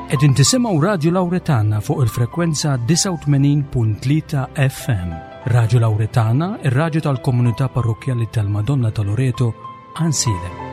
Qegħdin tisimgħu Radju Lawretana fuq il-frekwenza 89.3 FM. Radju Lawretana, ir-radju tal-komunità parrokkjali tal-Madonna ta' Loreto, Għansielem.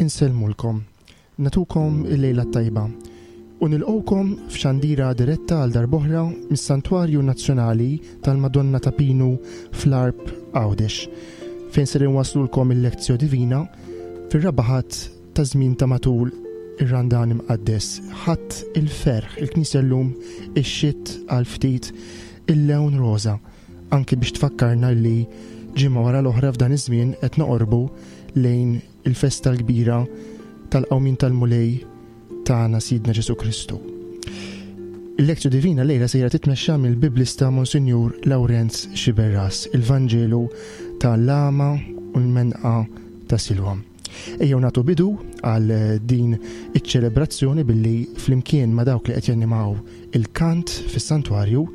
Insellmulkom, natukom il-lejla tajba u nilqgħukom f'xandira diretta għal darb'oħra mis-Santwarju Nazzjonali tal-Madonna ta' Pinu fl-Għarb Għawdex, fejn ser inwaslulkom il-Lectio Divina fir-raba' Ħadd ta' żmien ta' matul ir-Randan Imqaddes, Ħadd il-Ferħ. Il-Knisja llum ixxitt għal ftit il-lewn roża, anki biex tfakkarna li ġimgħa wara l-oħra f'dan iż-żmien qed noqorbu lejn il-festa l-kbira tal-qawmien tal-Mulej tagħna Sidna Ġesù Kristu. Il-Lectio Divina llejla sejra titmexxa mill-Biblista Monsinjur Lawrenz Sciberras, il-Vanġelu ta' l-għama u l-menqa ta' Silwam. Ejjew nagħtu bidu għal din iċ-ċelebrazzjoni billi flimkien ma' dawk li qed jannimaw il-kant fis-santwarju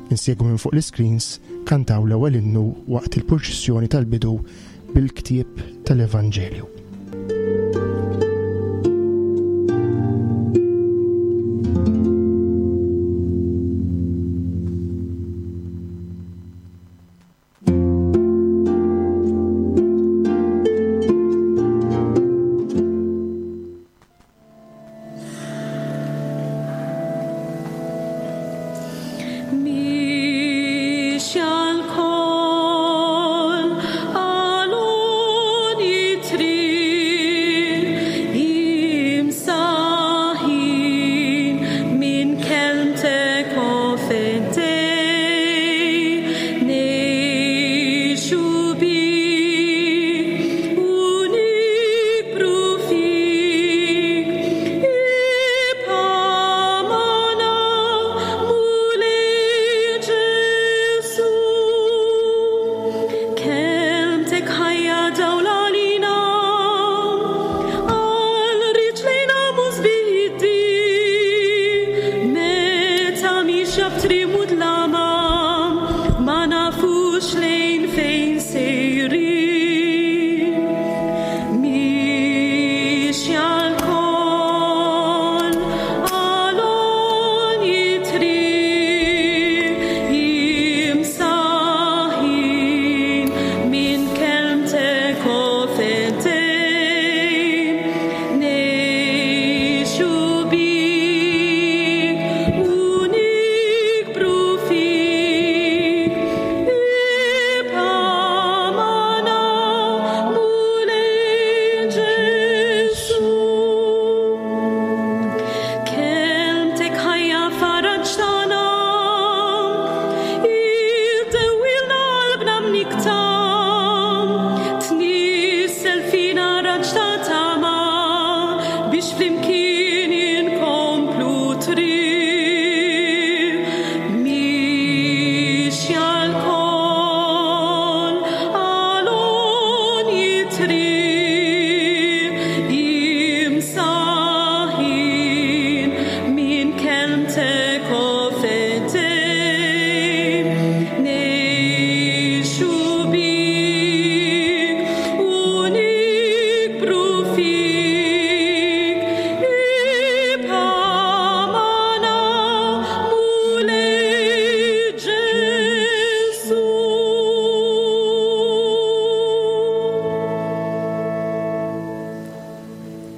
insegwu minn fuq l-iscreens kantaw l-ewwel innu waqt il-purċissjoni tal-bidu bil-ktieb tal-Evanġelju.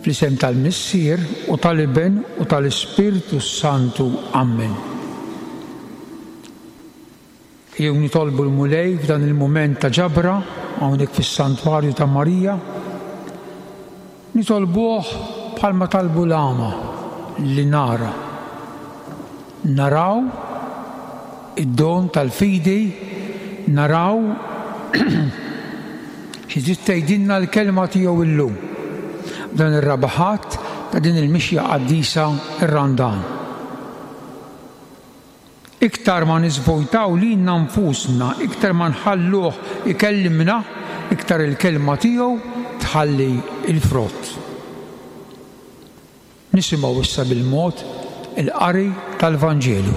Fl-isem tal-Missier u tal-Iben u tal-Ispirtu s-Santu. Ammen. Ejjew nitolbu l-Mulej f'dan il-mument ta' ġabra hawnhekk fis-Santwarju ta' Marija. Nitolbuh bħalma talbu l-għama li nara. Naraw id-don tal-fidi, naraw xi trid tgħidilna l-kelma tiegħu illum, f'dan ir-raba' Ħadd ta' din il-mixja qaddisa r-Randan. Iktar ma niżvojtaw lilna nfusna, iktar ma nħalluh ikellimna, iktar il-kelma tiegħu tħalli l-frott. Nisimgħu issa bil-mod il-qari tal-Vanġelu.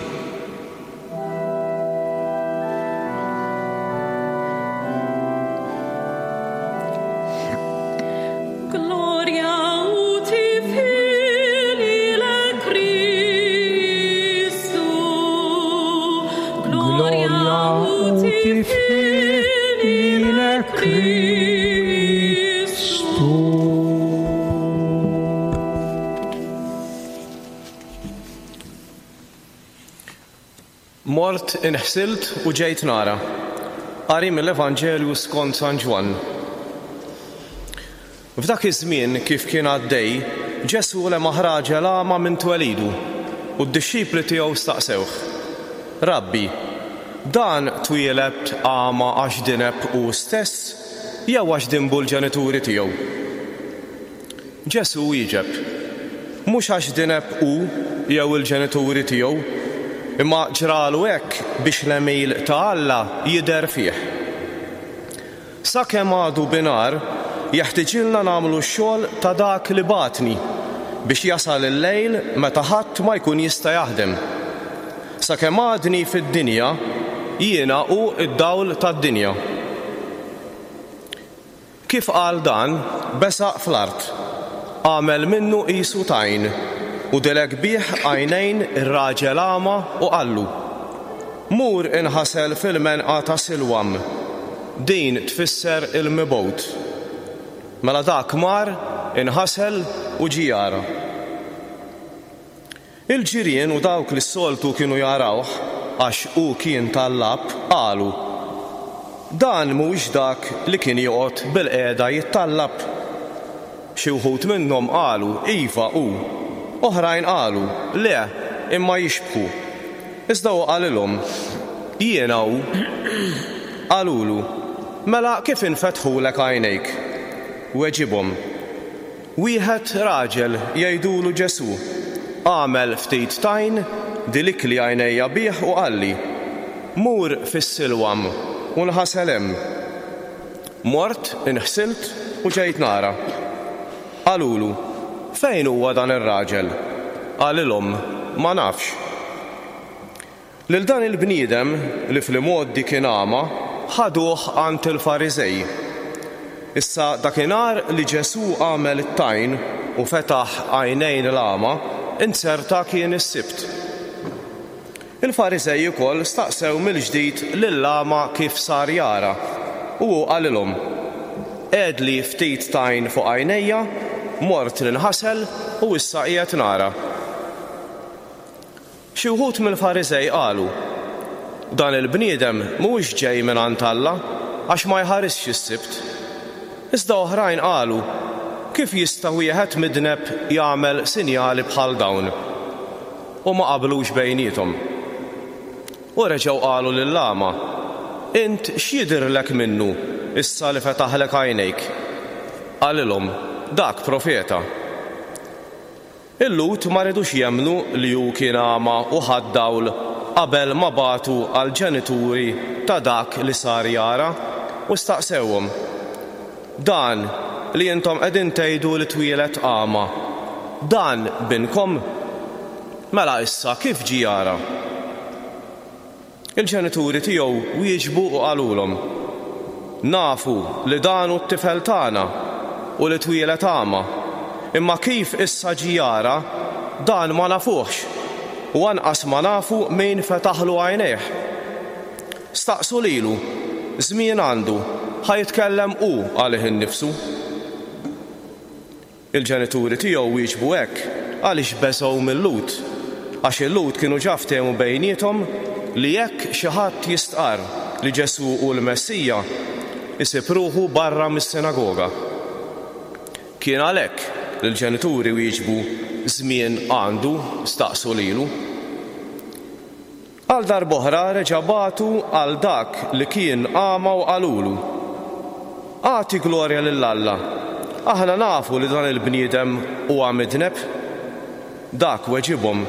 Mort inħsilt u ġejt nara. Qari mill-Evanġelju skont San Ġwann. F'dak iż-żmien, kif kien għaddej, Ġesù lemaħ raġel agħma minn twelidu, u d-dixxipli tiegħu staqsewh, Rabbi, dan twieled agħma għax dineb hu stess jew għax dinbu l-ġenituri tiegħu? Ġesù wieġeb. Mhux għax dineb hu jew il-ġenituri tiegħu, imma ġralu hekk biex l-għemil ta' Alla jidher fih. Sakemm għadu bi nhar, jeħtiġilna nagħmlu x-xogħol ta' dak li bagħatni, biex jasal il-lejl meta ħadd ma jkun jista' jaħdem. Sakemm għadni fid-dinja, jiena hu d-dawl tad-dinja. Kif qal dan, besaq fl-art, għamel minnu qisu tajn, u dilek bih għajnejn ir-raġel agħma u qallu, Mur inħasel fil-menqa ta' Silwam. Din tfisser il-Mibgħut. Mela dak mar, inħasel u ġie jara. Il-ġirien u dawk li s-soltu kienu jarawh, għax hu kien tallab, qalu, Dan mhuwiex dak li kien joqgħod bilqiegħda jittallab? Xi wħud minnhom qalu, Iva, hu. Oħrajn qalu, Le, imma jixbħu. Iżda hu qalilhom, Jiena hu. Qalulu, Mela kif infetħulek għajnejk? Weġibhom, Wieħed raġel jgħidulu Ġesù, għamel ftit tajn, dilikli għajnejja bih u qalli, 'Mur fis-Silwam u nħasel hemm. Mort, inħsilt u ġejt nara. Qalulu, 'Fejn huwa dan ir-raġel? Qalilhom, 'Ma nafx. Lil dan il-bniedem, li fl-imgħoddi kien agħma, ħaduh għand il-Fariżej. Issa dakinhar li Ġesù għamel it-tajn u fetaħ għajnejn l-agħma, inzerta kien is-Sibt. Il-Fariżej ukoll staqsew mill-ġdid lill-agħma kif sar jara, u hu qalilhom, Qegħedli ftit tajn fuq għajnejja, mort ninħasel u issa qiegħed nara. Xi wħud mill-Fariżej qalu, Dan il-bniedem mhuwiex ġej mingħand Alla, għax ma jħarisx is-Sibt. Iżda oħrajn qalu, Kif jista' wieħed midneb jagħmel sinjali bħal dawn? U ma qablux bejniethom. U reġgħu qalu lill-agħma, Int x'jidhirlek minnu issa li fetaħlek għajnejk? Qalilhom, Dak profeta. Il-Lhud ma ridux jemmnu li hu kien agħma u ħa d-dawl qabel ma bagħtu għall-ġenituri ta' dak li sar jara u staqsewhom, Dan li intom qegħdin tgħidu li twieled agħma, dan binkom? Mela issa kif ġie jara? Il-ġenituri tiegħu wieġbu u qalulhom, Nafu li dan hu t-tifel tagħna u li twieled agħma, imma kif issa ġie jara, dan ma nafuhx, u anqas ma nafu min fetaħlu għajnejh. Staqsu lilu, żmien għandu, ħa jitkellem hu għalih innifsu. Il-ġenituri tiegħu wieġbu hekk għaliex beżgħu mil-Lhud, għax il-Lhud kienu ġa ftehmu bejniethom li jekk xi ħadd jistqarr li Ġesù hu l-Messija, isib ruħu barra mis-sinagoga. Kien għalhekk li l-ġenituri wieġbu, Żmien għandu, staqsu lilu. Għal darb'oħra reġa' bagħtu għal dak li kien agħma u qalulu, Agħti glorja lil Alla, aħna nafu li dan il-bniedem huwa midneb. Dak weġibhom,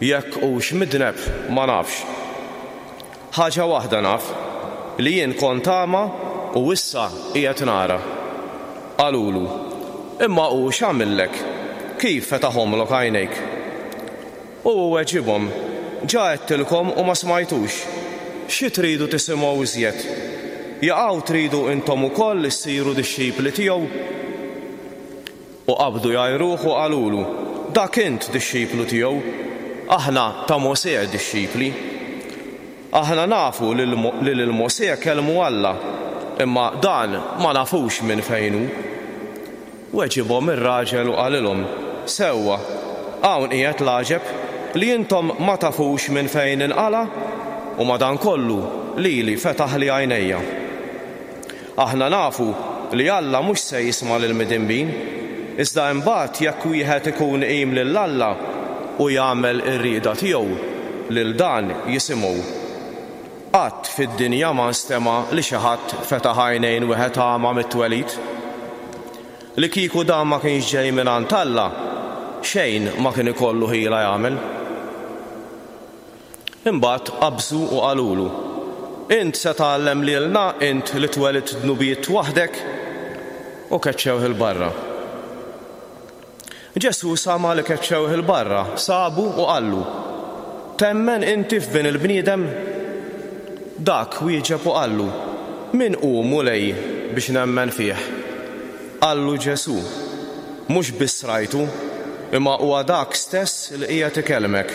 Jekk hux midneb ma nafx. Ħaġa waħda naf, li jien kont agħma u issa qiegħed nara. Qalulu, Imma hu x'għamillek? Kif fetaħomlok għajnejk? U hu weġibhom, Ġa għedtilkom u ma smajtux. Xi tridu tisimgħu iżjed? Jaqaw tridu intom ukoll issiru dixxipli tiegħu? U qabdu jgħajruh u qalulu, Dak int dixxiplu tiegħu, aħna ta' Mosè dixxipli. Aħna nafu li lil Mosè kellmu Alla, imma dan ma nafux minn fejn hu. Weġibhom ir-raġel u qalilhom, Sewwa, hawn qiegħed l-għaġeb, li intom ma tafux minn fejn inqala', u madankollu lili fetaħli għajnejja. Aħna nafu li Alla mhux se jisma' lill-midinbin, iżda imbagħad jekk wieħed ikun iqim lil Alla u jagħmel ir-rieda tiegħu, lil dan jisimgħu. Qatt fid-dinja ma nstema' li xi ħadd fetaħ għajnejn wieħed agħma mit-twelid. Li kieku dan ma kienx ġej mingħand Alla, xejn ma kien ikollu ħila jagħmel. Imbagħad qabżu u qalulu, Int se tgħallem lilna, int li twelidt dnubiet waħdek? U keċċewh 'il barra. Ġesù sama' li keċċewh 'il barra, sabu u qallu, Temmen inti f'Bin il-bniedem? Dak wieġeb u qallu, Min hu, Mulej, biex nemmen fih? Qallu Ġesù, Mhux biss rajtu, imma huwa dak stess li qiegħed ikellmek.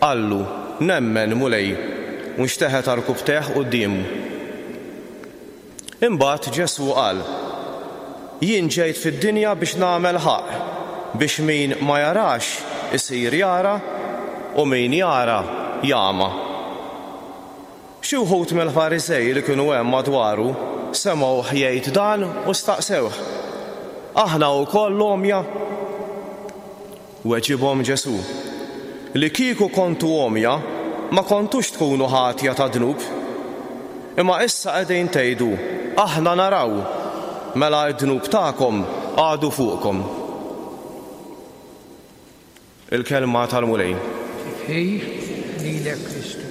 Qallu, Nemmen, Mulej, u nxteħet għarkupptejh quddiemu. Imbagħad Ġesù qal, Jien ġejt fid-dinja biex nagħmel ħaqq, biex min ma jarax isir jara u min jara jagħma. Xi wħud mill-Fariżej li kienu hemm madwaru semgħuh jgħid dan u staqsewh, Aħna wkoll għomja? Weġibhom Ġesù, Li kieku kontu għomja, ma kontux tkunu ħatja ta' dnub. Imma issa qegħdin tgħidu, 'Aħna naraw', mela d-dnub tagħkom għadu fuqkom. Il-Kelma tal-Mulej. Tifħir lilek Kristu.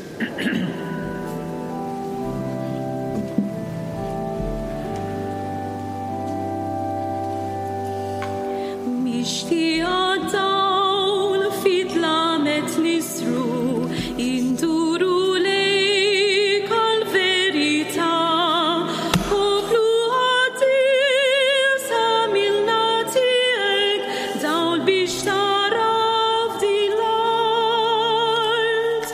Mixtieqa dawl fi dlamet nisru, induru lejk għall-verità. Poplu qaddis għamilna tiegħek, dawl biex tara f'din l-art.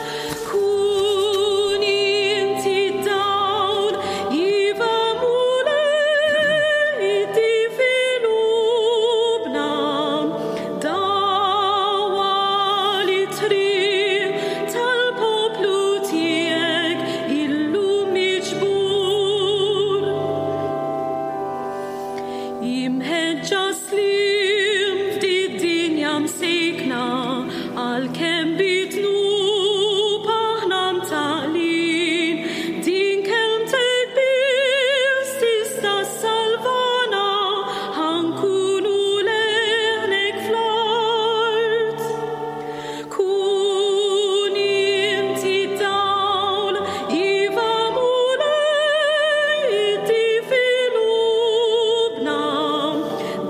Kun inti d-dawl, iva Mulej, iddi fi qlubna, dawwal it-triq tal-poplu tiegħek illum miġbur. Imħeġġa sliem f'did-dinja msejkna, għalkemm bid-dnub aħna mtaqqlin, din kelmtek biss tista' ssalvana, ħa nkunu leħnek fl-art. Kun inti d-dawl, iva Mulej, iddi fi qlubna,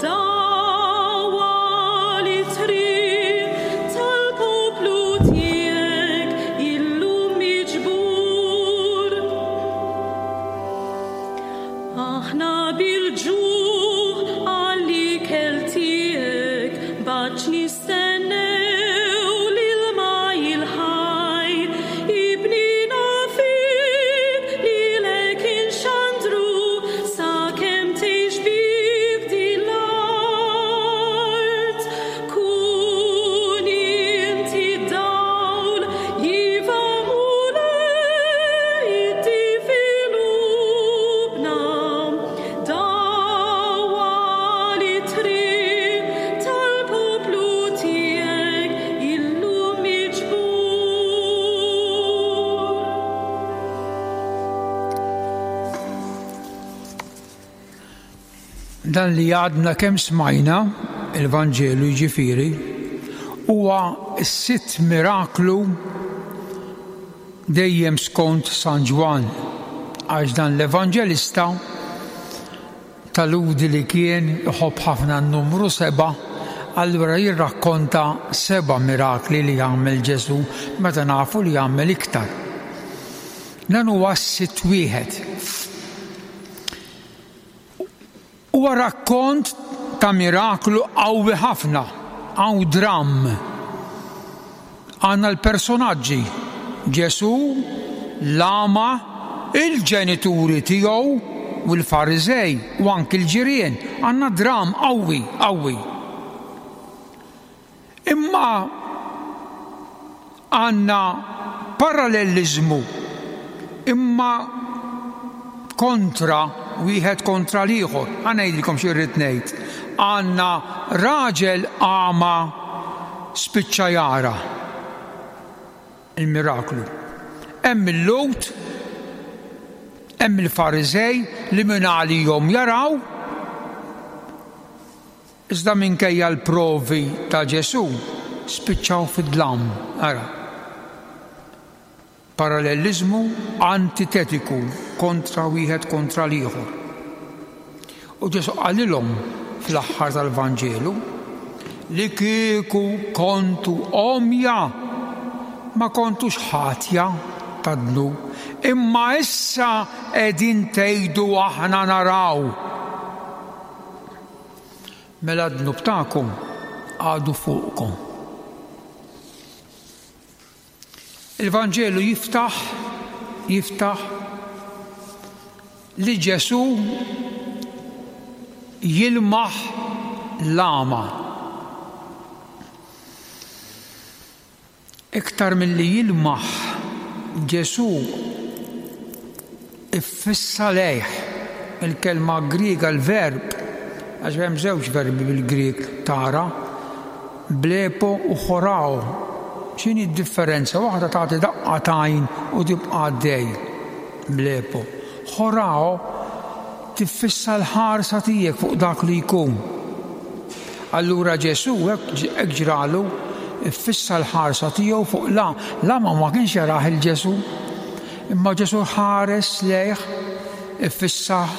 dawwal it-triq tal-poplu tiegħek illum miġbur. Aħna bil-ġuħ għall-ikel tiegħek, b'għatx nistennew l-ilma il-ħaj. Ibnina fik lilek inxandru sakemm tgħix bik din l-art. Kun inti d-dawl, iva Mulej, iddi fi qlubna, dawwal it-triq tal-poplu tiegħek illum miġbur. Dan li għadna kemm smajna, il-Vanġelu jiġifieri, huwa s-sitt miraklu dejjem skont San Ġwann, għax dan l-evanġelista ta' Lhudi li kien iħobb ħafna n-numru sebgħa, allura jirrakkonta seba' mirakli li għamel Ġesù meta nafu li għamel iktar. Dan huwa s-sitt wieħed. Huwa rakkont ta' miraklu qawwi ħafna, hawn dramm. Għandna l-personaġġi, Ġesù, l-għama, il-ġenituri tiegħu u l-Fariżej u anki l-ġirien. Għandna dramm qawwi, qawwi. Imma għandna paralleliżmu imma kontra wieħed kontra l-ieħor. Ħa ngħidilkom xi rrid ngħid. Għandna raġel għama spiċċa jara il-miraklu. Hemm il-Lhud, hemm il-Fariżej li minn għalihom jaraw. Iżda minkejja l-provi ta' Ġesù, spiċċaw fid-dlam. Ara. Paralleliżmu antitetiku kontra wieħed kontra l-ieħor. U Ġesù qalilhom fl-aħħar tal-Vanġelu li kieku kontu għomja ma kontux ħatja tad-dnub, imma issa qegħdin tgħidu aħna naraw. Mela d-dnub tagħkom għadu fuqkom. Il-Vanġelu jiftaħ jiftaħ li Ġesù jilmaħ l-għama. Iktar milli jilmaħ, Ġesù iffissa lejh. Il-kelma Griega l-verb, għax hemm żewġ verbi bil-Grieg tara, blepo u chorao. X'inhi d-differenza? Waħda tagħti daqqa t'għajn u tibqa' għaddej, blepo. Chorao tiffissa l-ħarsa tiegħek fuq dak li jkun. Allura Ġesù hekk ġralu, iffissa l-ħarsa tiegħu fuq l L-għama ma kienx jarah il Ġesù. Imma Ġesù ħares lejh, iffissah,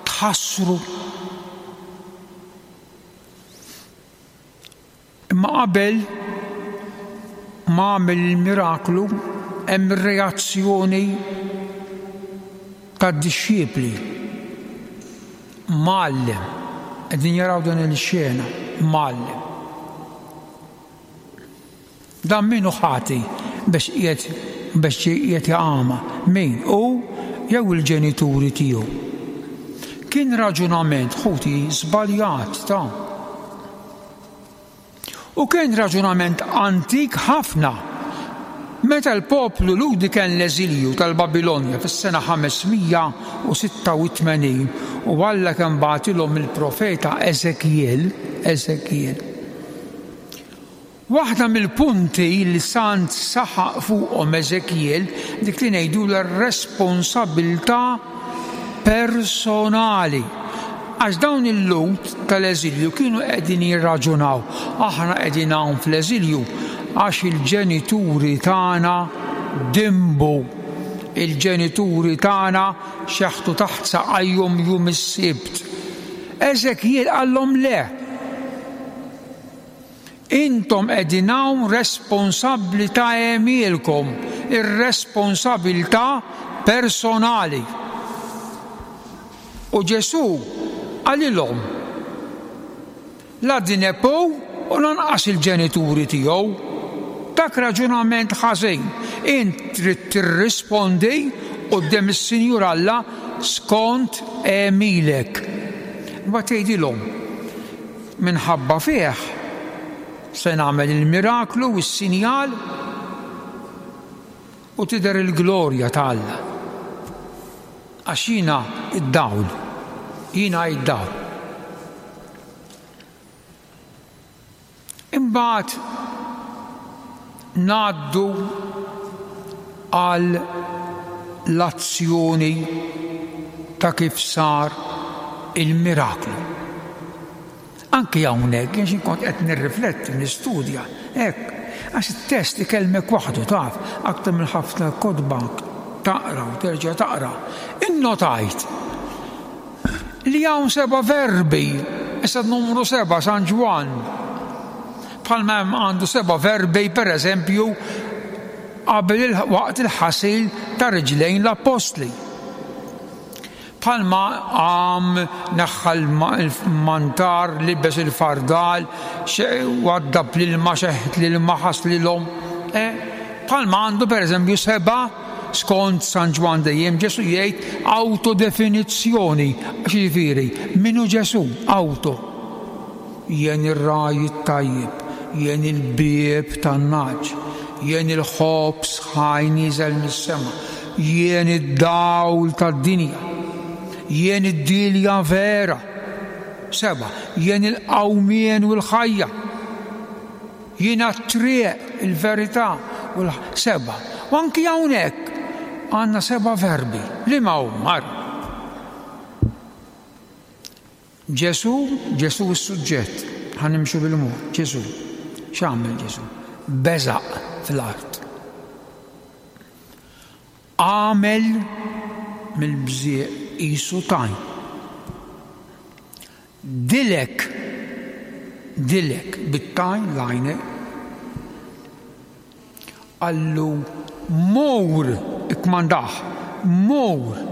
tħassru. Imma qabel ma għamel il-miraklu hemm ir-reazzjoni tad-dixxipli. Mgħallem, qegħdin jaraw din il-xena, mgħallem. Dan min hu ħati biex qiegħed biex qiegħed jaqama? Min? Hu jew il-ġenituri tiegħu? Kien raġunament ħuti żbaljat ta'. U kien raġunament antik ħafna. Meta l-poplu Lhudi kien l-eżilju tal-Babilonja fis-sena 586 u Alla kien bagħtilhom il-profeta Eżekjel, Eżekjel, Waħda mill-punti li sant saħaq fuqhom Eżekjel, dik li ngħidulha r-responsabbiltà personali. Għax dawn il-Lhud tal-eżilju kienu qegħdin jirraġunaw, aħna qegħdin hawn fl-eżilju għax il-ġenituri tagħna dinbu. Il-ġenituri tagħna xeħtu taħt saqajhom jum is-Sibt. Eżekjel qallhom le. Intom qegħdin hawn responsabbli ta' għemilkom, ir-responsabilità personali. U Ġesù qalilhom, La dineb hu u lanqas il-ġenituri tiegħu. Dak raġunament ħażin. Int trid tirrispondi quddiem is-Sinjur Alla skont għemilek. Imbagħad jgħidilhom, Minħabba fih se nagħmel il-miraklu u s-sinjal u tidher il-glorja ta' Alla. Għax jiena d-dawl, jiena d-dawl. Imbagħad ngħaddu għal l-azzjoni ta' kif sar il-miraklu. Anki hawnhekk jien xi kont qed nirrifletti, nistudja, hekk, għax it-test ikellmek waħdu taf, aktar minn ħafna kotba taqra u terġa' taqra. Innotajt Li hawn seba' verbi, issa numru seba' San Ġwann. Bħalma hemm għandu seba' verbi, per eżempju, qabel waqt il-ħasil ta' riġlejn l-appostli. Bħalma qam neħħa l-mantar, libes il-fardal, waddab l-ilma, xeħet l-ilma, ħaslilhom. Eh, bħalma għandu per eżempju seba' Skont San Ġwann dejjem Ġesù jgħid awtodefinizzjoni, x'jiġifieri, min hu Ġesù? Awto. Jien ir-ragħaj it-tajjeb, jien il-bieb tan-nagħaġ, jien il-ħobż ħaj nieżel mis-sema, jien id-dawl tad-dinja, jien id-dielja vera. Seba', jien il-qawmien u l-ħajja. Jiena t-triq, il-verità u l Sebgħa. U anki hawnhekk għandna seba' verbi. Liema huma? Ara. Ġesù, Ġesù s-suġġett, ħa nimxu bil-mod, Ġesù. X'għamel Ġesù? Beżaq fl-art. Għamel mill-bżieq qisu tajn. Dilek, dilek bit-tajn l-għajne. Qallu mur, ikkmandah, mur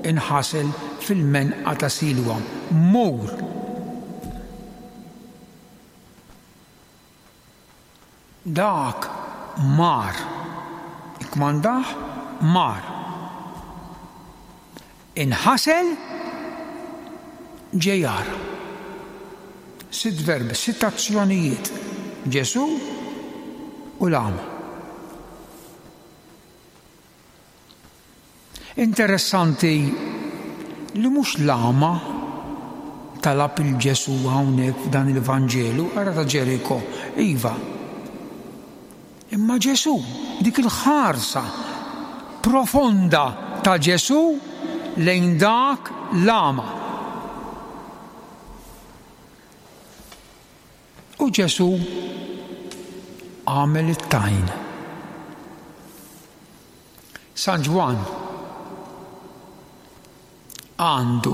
inħasel fil-menqa ta' Silwam, mur. Dak mar. Ikkmandah, mar. Inħasel, ġie jara. Sitt verbi, sitt azzjonijiet. Ġesù u l-agħma. Interessanti li mhux l-agħma talab 'il Ġesù hawnhekk f'dan il-Vanġelu, ara ta' Ġeriko, iva. Imma Ġesù, dik il-ħarsa profonda ta' Ġesù lejn dak l-agħma. U Ġesù għamel it-tajn. San Ġwann għandu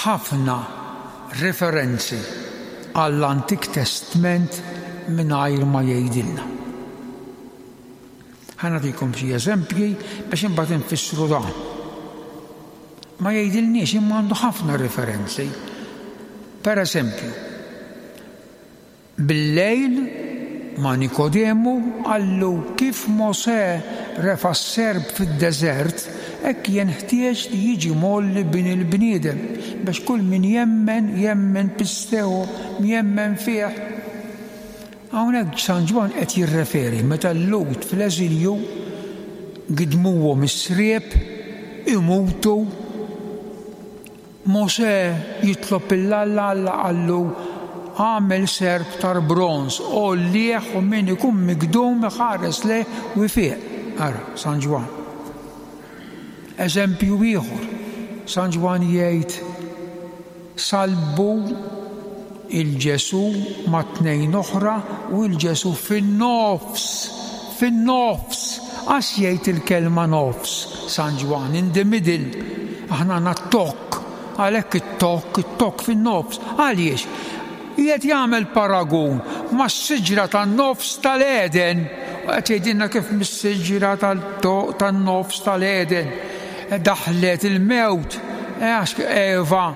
ħafna referenzi għall-Antik Testment mingħajr ma jgħidilna. Ħa nagħtikom xi eżempji biex imbagħad infissru dan. Ma jgħidilniex imma għandu ħafna referenzi. Per eżempju, Billejl, ma' Nikodemu, qallu, Kif Mosè refa' s-serp fid-deżert, hekk jenħtieġ li jiġi mgħolli Bin il-bniedem, biex kull min jemmen, jemmen pisteo, jemmen fih. Hawnhekk San Ġwann qed jirreferi meta l-Lhud fl-eżilju gidmuhom is-sriep, imutu, Mosè jitlob 'il Alla, Alla qallu, Agħmel serp tar-bronż, għollih u min ikun migdum iħares lejh u jfiq. Ara, San Ġwann. Eżempju ieħor, San Ġwann jgħid, Sallbu 'il Ġesù ma' tnejn oħra u 'il Ġesù fin-nofs, fin-nofs, għax jgħid il-kelma nofs, San Ġwann, in the middle, aħna għandna t-tokk, għalhekk it-tokk, it-tokk fin-nofs. Għaliex? Qiegħed jagħmel paragun mas-siġra tan-nofs tal-Għeden u qed jgħidilna kif mis-siġra tan-nofs tal-Għeden daħlet il-mewt, għax Eva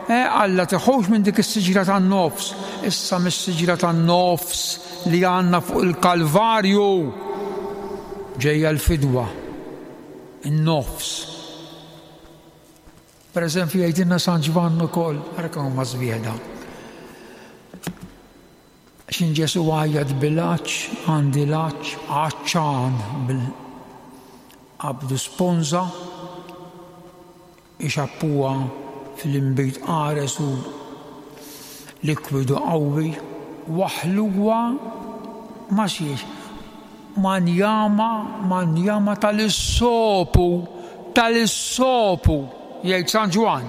Alla tiħux minn dik is-siġra tan-nofs, issa mis-siġra tan-nofs li għandna fuq il-Kalvarju ġejja l-fidwa, in-nofs. Per eżempju jgħidilna San Ġwann ukoll, ara kemm huma sbieħ dawn. X'in Ġesù għajjat bil-għatx, għandi l-għatx, għatxan bil qabdu sponża, Ixappuha fl-inbid qares u likwidu qawwi, waħħluha ma' xiex? Ma' njama, ma' njama tal-issopu, tal-issopu, jgħid San Ġwann.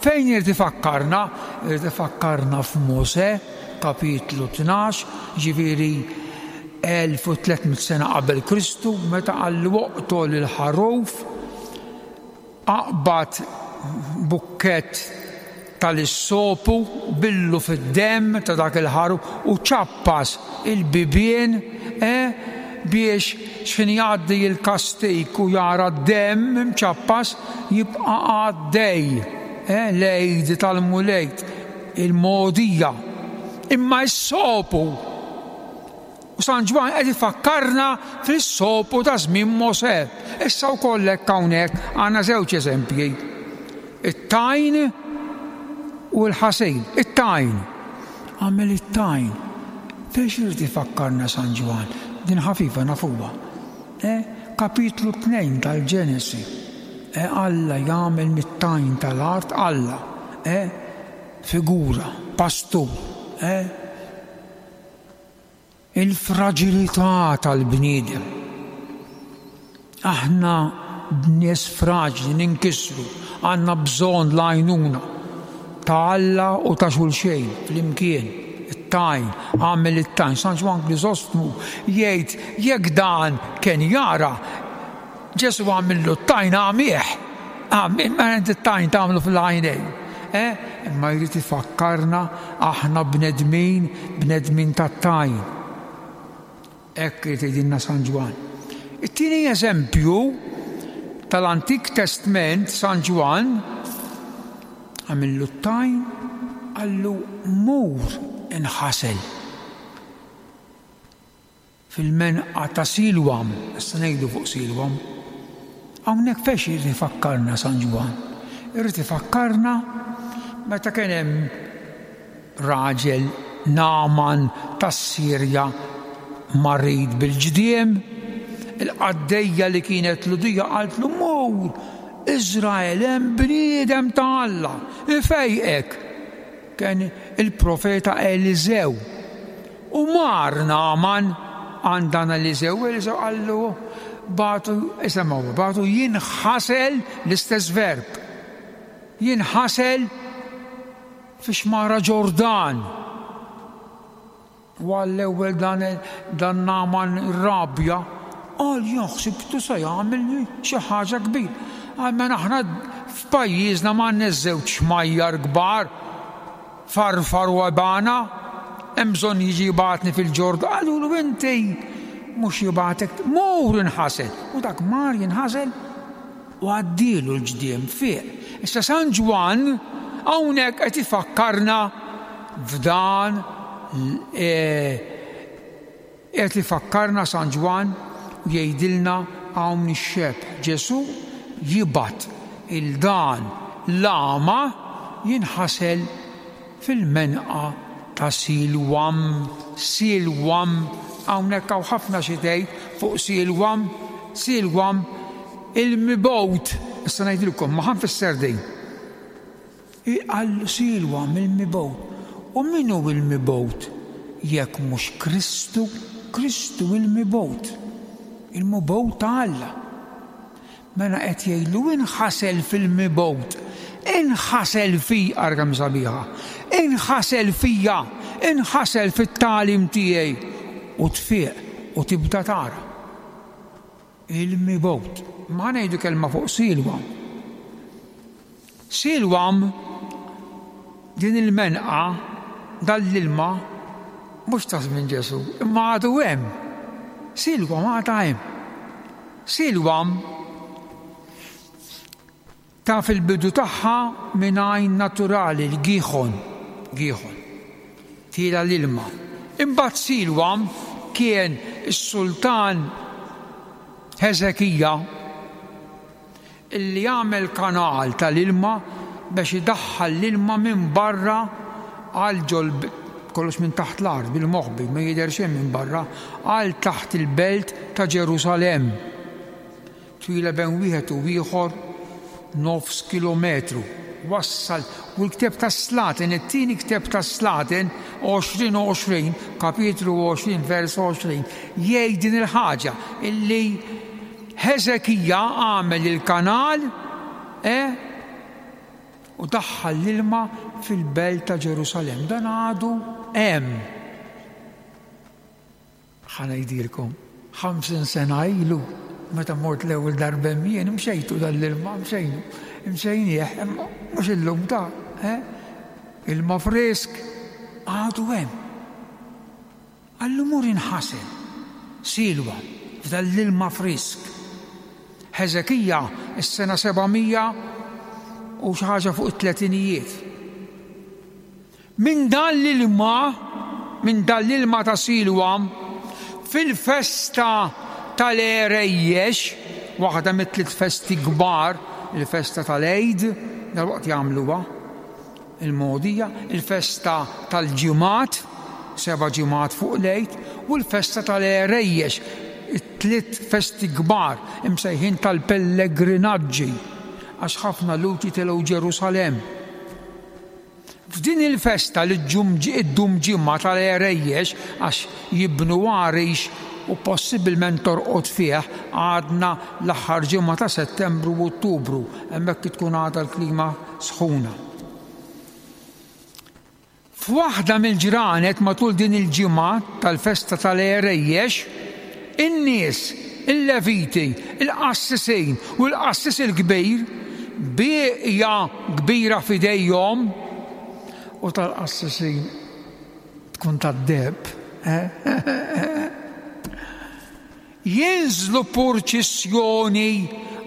Fejn irid ifakkarna? Irid ifakkarna f'Mosè, kapitlu 12, jiġifieri 1300 sena qabel Kristu, meta qallu oqtol il-ħaruf, Aqbad bukkett tal-issopu, billu fid-demm ta' dak il-ħaruf u ċappas il-bibien, eh, biex x'ħin jgħaddi l-kastig u jara d-demm imċappas jibqa' għaddej, eh, l-Għid tal-Mulej, il-mogħdija. Imma s-sopu! U San Ġwann qed ifakkarna fis-sopu ta' żmien Mosè. Issa wkoll hekk hawnhekk għandna żewġ eżempji. It-tajn u l-ħasil. It-tajn. Għamel it-tajn. Fejn irid ifakkarna San Ġwann? Din ħafifa nafuha. Eh, kapitlu 2 tal-Ġenesi. Eh, Alla jagħmel mit-tajn tal-art Alla. Eh, figura, pastur. Eh, Il-fraġilità tal-bniedem. Aħna nies fraġli, ninkisru, għandna bżonn l-għajnuna. ta' Alla u ta' xulxejn flimkien. It-tajn, għamel it-tajn. San Ġwann Krisostmu jgħid jekk dan kien jara, Ġesù għamillu t-tajn għamih. Għamih, ma inti t-tajn tagħmlu fil-għajnejn. Eh? Imma jrid ifakkarna aħna bnedmin, bnedmin tat-tajn. Hekk irid jgħidilna San Ġwann. It-tieni eżempju tal-Antik Testment San Ġwann għamillu t-tajn qallu mur inħasel fil-menqa ta' Silwam, issa ngħidu fuq Silwam. Hawnhekk fex irid ifakkarna San Ġwann? Irid ifakkarna meta kien hemm Raġel Nagħman tas-Sirja marid bil-ġdiem. Il-qaddejja li kienet Lhudija qaltlu, Mur, Iżrael, hemm bniedem ta' Alla, ifejqek. Kien il-profeta Eliżew. U mar Nagħman għand dan Eliżew, Eliżew qallu, bagħtu, isemgħu, bagħtu jinħasel l-istess verb. Jinħasel Fix-xmara Ġordan. U għall-ewwel dan dan Nagħman irrabja, qal jien ħsibtu se jagħmilni xi ħaġa kbira. Qal mela aħna f'pajjiżna m'għandniex żewġ xmajjar kbar, Farfar u Abana, hemm bżonn jiġi jibgħatni fil-Ġordan. Qalulu inti mhux jibgħatek, mur inħasel. U dak mar jinħasel U għaddielu l-ġdiem, fieq. Issa San Ġwann hawnhekk qed ifakkarna f'dan qed ifakkarna San Ġwann u jgħidilna hawn ix-xebh. Ġesù jibgħat 'il dan l-agħma jinħasel fil-menqa ta' Silwam. Silwam, hawnhekk hawn ħafna xi tgħid fuq Silwam. Silwam, il-mibgħut. Issa ngħidilkom, ma ħa nfisser din. Qal Silwam, il-mibgħut. U min hu l-mibgħut jekk mhux Kristu? Kristu il-mibgħut. Il-mibgħut ta' Alla. Mela qed jgħidlu inħasel fil-mibgħut, inħasel fi, ara kemm sabiħa, inħasel fija, inħasel fit-tagħlim tiegħi u tfieq u tibda tara. Il-mibgħut. Ma ħa ngħidu kelma fuq Silwam. Silwam din il-menqa dan l-ilma mhux ta' żmien Ġesù, imma għadu hemm. Silwam għadha hemm. Silwam taf il-bidu tagħha minn għajn naturali, l-Giħon, Giħon, tiela' l-ilma. Imbagħad Silwam kien is-sultan Ħeżekija illi għamel kanal tal-ilma biex idaħħal l-ilma minn barra għal ġol kollox minn taħt l-art bil-moħbi ma jidher xejn minn barra għal taħt il-belt ta' Ġerusalemm. Twila bejn wieħed u ieħor nofs kilometru. Wassal u l-ktieb tas-Slaten, it-tieni ktieb tas-Slaten, 20 u 20, kapitlu 20 vers 20, jgħid din il-ħaġa illi Ħeżekija għamel il-kanal, e, u daħħal l-ilma fil-belt ta' Ġerusalemm. Dan għadu hemm. Ħa ngħidilkom, 50 sena ilu, meta mort l-ewwel darba hemm jien, imxejtu dan l-ilma, mxejnu, imxejnieh, imma mhux illum ta' eh? Ilma frisk għadu hemm. Qallu mur inħasel, Silwa, f'dan l-ilma frisk. Ħeżekija, is-sena 700 u xi ħaġa fuq it-tletinijiet. Minn dan l-ilma, minn dan l-ilma ta' Silwam, fil-festa tal-Għerejjex, waħda mit-tliet festi kbar, il-festa tal-Għid, dalwaqt jagħmluha, il-Mogħdija, il-festa tal-Ġimgħat, seba' ġimgħat fuq l-Għid, u l-festa tal-Għerejjex, it-tliet festi kbar imsejħin tal-pellegrinaġġi, għax ħafna Lhud jitilgħu Ġerusalemm. F'din il-festa li ddum ġimgħa tal-għerejjex għax jibnu għarix u possibilment torqod fih għadna l-aħħar ġimgħa ta' Settembru u Ottubru, hemmhekk tkun għadha l-klima sħuna. F'waħda mill-ġranet matul din il-ġimgħa tal-festa tal-Għerejjex, in-nies, il-Leviti, il-qassisin u l-qassis il-kbir, b'bieqja kbira f'idejhom, u tal-qassisin tkun tad-deheb, Jinżlu purċissjoni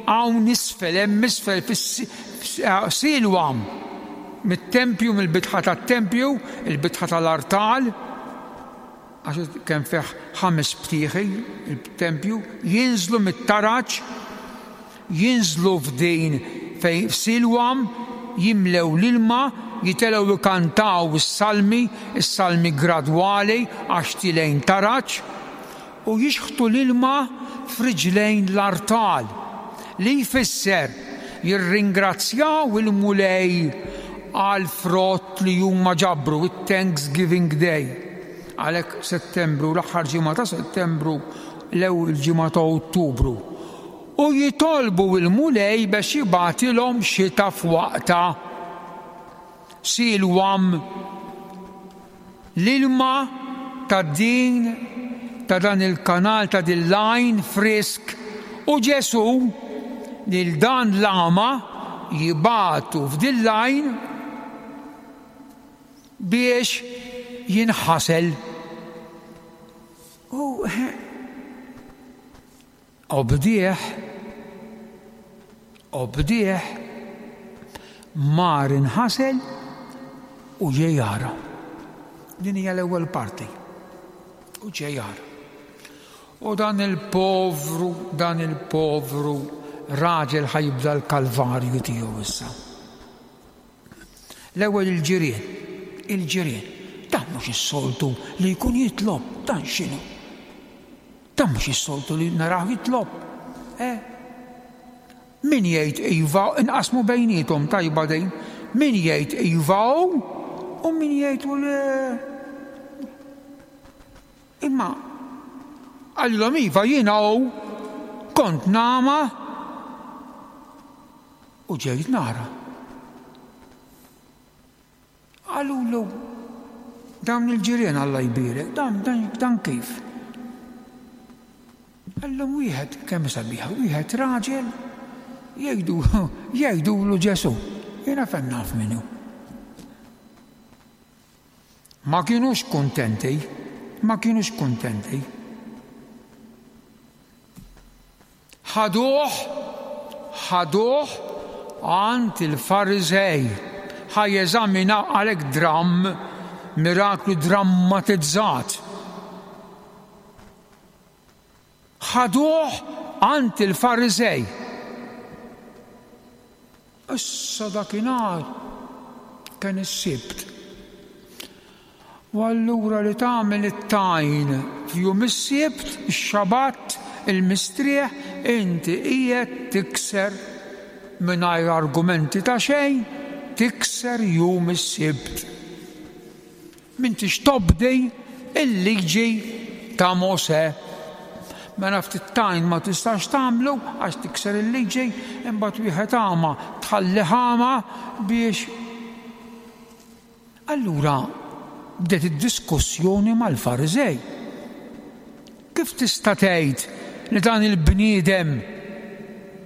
hawn isfel, hemm isfel fis-Silwam, mit-tempju, mill-bitħa tat-tempju, il-bitħa tal-artal, għax kemm fih ħames btieħi il-tempju, jinżlu mit-taraġ, jinżlu f'din fejn f'Silwam, jimlew l-ilma, jitelgħu jkantaw is-salmi, is-salmi gradwali għax tilgħin taraġ, u jixħtu l-ilma f'riġlejn l-artal, li jfisser jirringrazzjaw il-Mulej għall-frott li huma ġabru, it-Thanksgiving Day. Għalhekk Settembru, l-aħħar ġimgħa ta' Settembru, l-ewwel ġimgħa ta' Ottubru. U jitolbu l-Mulej biex jibgħatilhom xita f'waqtha. Silwam L-ilma ta' din ta' dan il-kanal ta' din l-għajn frisk u Ġesù lil dan l-agħma jibagħtu f'din l-għajn biex jinħasel. U Obdieh, obdieh, mar inħasel u ġie jara. Din hija l-ewwel parti. U ġie jara. U dan il-povru, dan il-povru raġel ħajibda l-kalvarju tiegħu issa. L-ewwel il-ġirien, il-ġirien. Dan mhux is-soltu li jkun jitlob, dan x'inhu? Dan mhux is-soltu li narah jitlob. Eh? Min jgħid iva, inqasmu bejniethom tajba din. Min jgħid iva hu u min jgħid u le. Imma qalilhom iva jiena hu kont nagħma u ġejt nara. Qalulu, Dawn il-ġirien Alla jbierek, dan, dan, dan kif? Qallhom wieħed, kemm sabiħa, wieħed raġel jgħidu, jgħidulu Ġesù. Jiena fejn naf min hu. Ma kinux kuntenti, ma kinux kuntenti. Ħaduh, ħaduh għand il-Fariżej ħa jeżaminaw għalhekk dramm, miraklu drammatizzat. Ħaduh għand il-Fariżej. Issa dakinhar kien is-Sibt. U allura li tagħmel it-tajn f'jum is-Sibt, ix-Xabat, il-mistrieħ, inti qiegħed tikser mingħajr argumenti ta' xejn, tikser jum is-Sibt. M'intix tobdi l-liġi ta' Mosè. Mela ftit tajn ma tistax tagħmlu għax tikser il-liġi, imbagħad wieħed agħma tħallih agħma biex Allura bdiet id-diskussjoni mal-Fariżej. Kif tista' tgħid li dan il-bniedem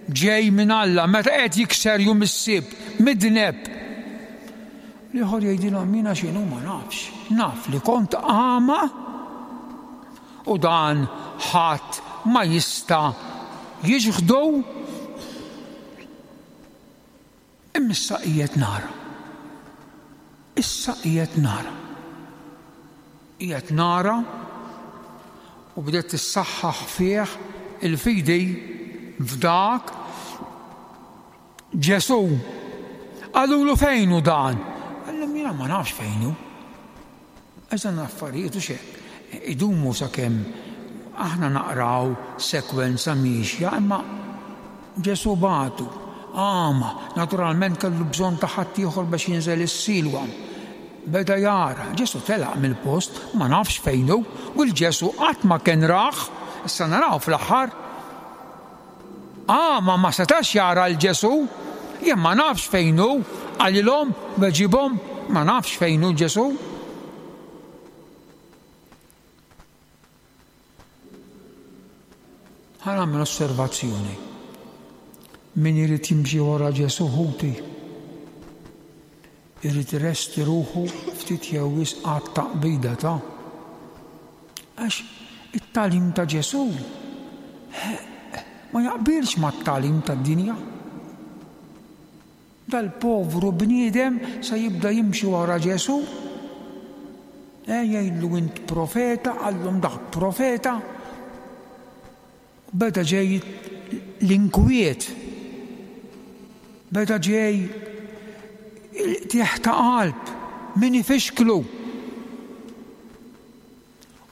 ġej minn Alla meta qed jikser jum is-Sibt, midneb? L-ieħor jgħidilhom jiena x'inhu ma nafx. Naf li kont agħma u dan ħadd ma jista' jiġħdu. Imma issa qiegħed nara. Issa qiegħed nara. Qiegħed nara u bdiet tissaħħaħ fih il-fidi f'dak Ġesù. Qalulu fejn hu dan? Qallhom jiena ma nafx fejn hu. Għax dan l-affarijiet hux hekk idumu sakemm aħna naqraw sekwenza miexja imma Ġesù bagħtu, għama, naturalment kellu bżonn ta' ħaddieħor biex jinżel is-Silwam. Beda jara, Ġesù telaq mill-post, ma nafx fejn hu, u l-Ġesù qatt ma kien rah, issa naraw fl-aħħar. Agħma ma setax jara 'l Ġesù. Jien ma nafx fejn hu, qalilhom, weġibhom, ma nafx fejn hu Ġesù. Ħa nagħmel osservazzjoni. Min irid jimxi wara Ġesù ħuti, irid iresti ruħu ftit jew wisq għat-taqbida ta' għax it-tagħlim ta' Ġesù ma jaqbilx mat-tagħlim tad-dinja. Dal-povru bniedem se jibda jimxi wara Ġesù, eh, jgħidlu int profeta, qallhom dak profeta. Beda ġej l-inkwiet. Beda ġej il-qtigħ ta' qalb, min ifixklu.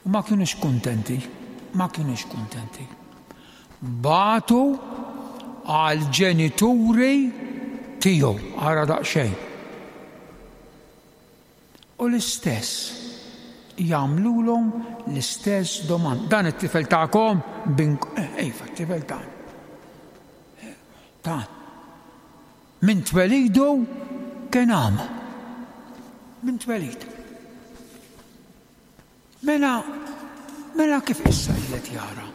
U ma kinux kuntenti, ma kinux kuntenti. Bagħtu għall-ġenituri tiegħu, ara daqsxejn. U l-istess, jagħmlulhom l-istess domanda. Dan it-tifel tagħkom bin eh, iva, t-tifel tagħna. Eh, tagħna. Minn twelidu kien għama. Minn twelidu. Mela, mela kif issa qiegħed jara?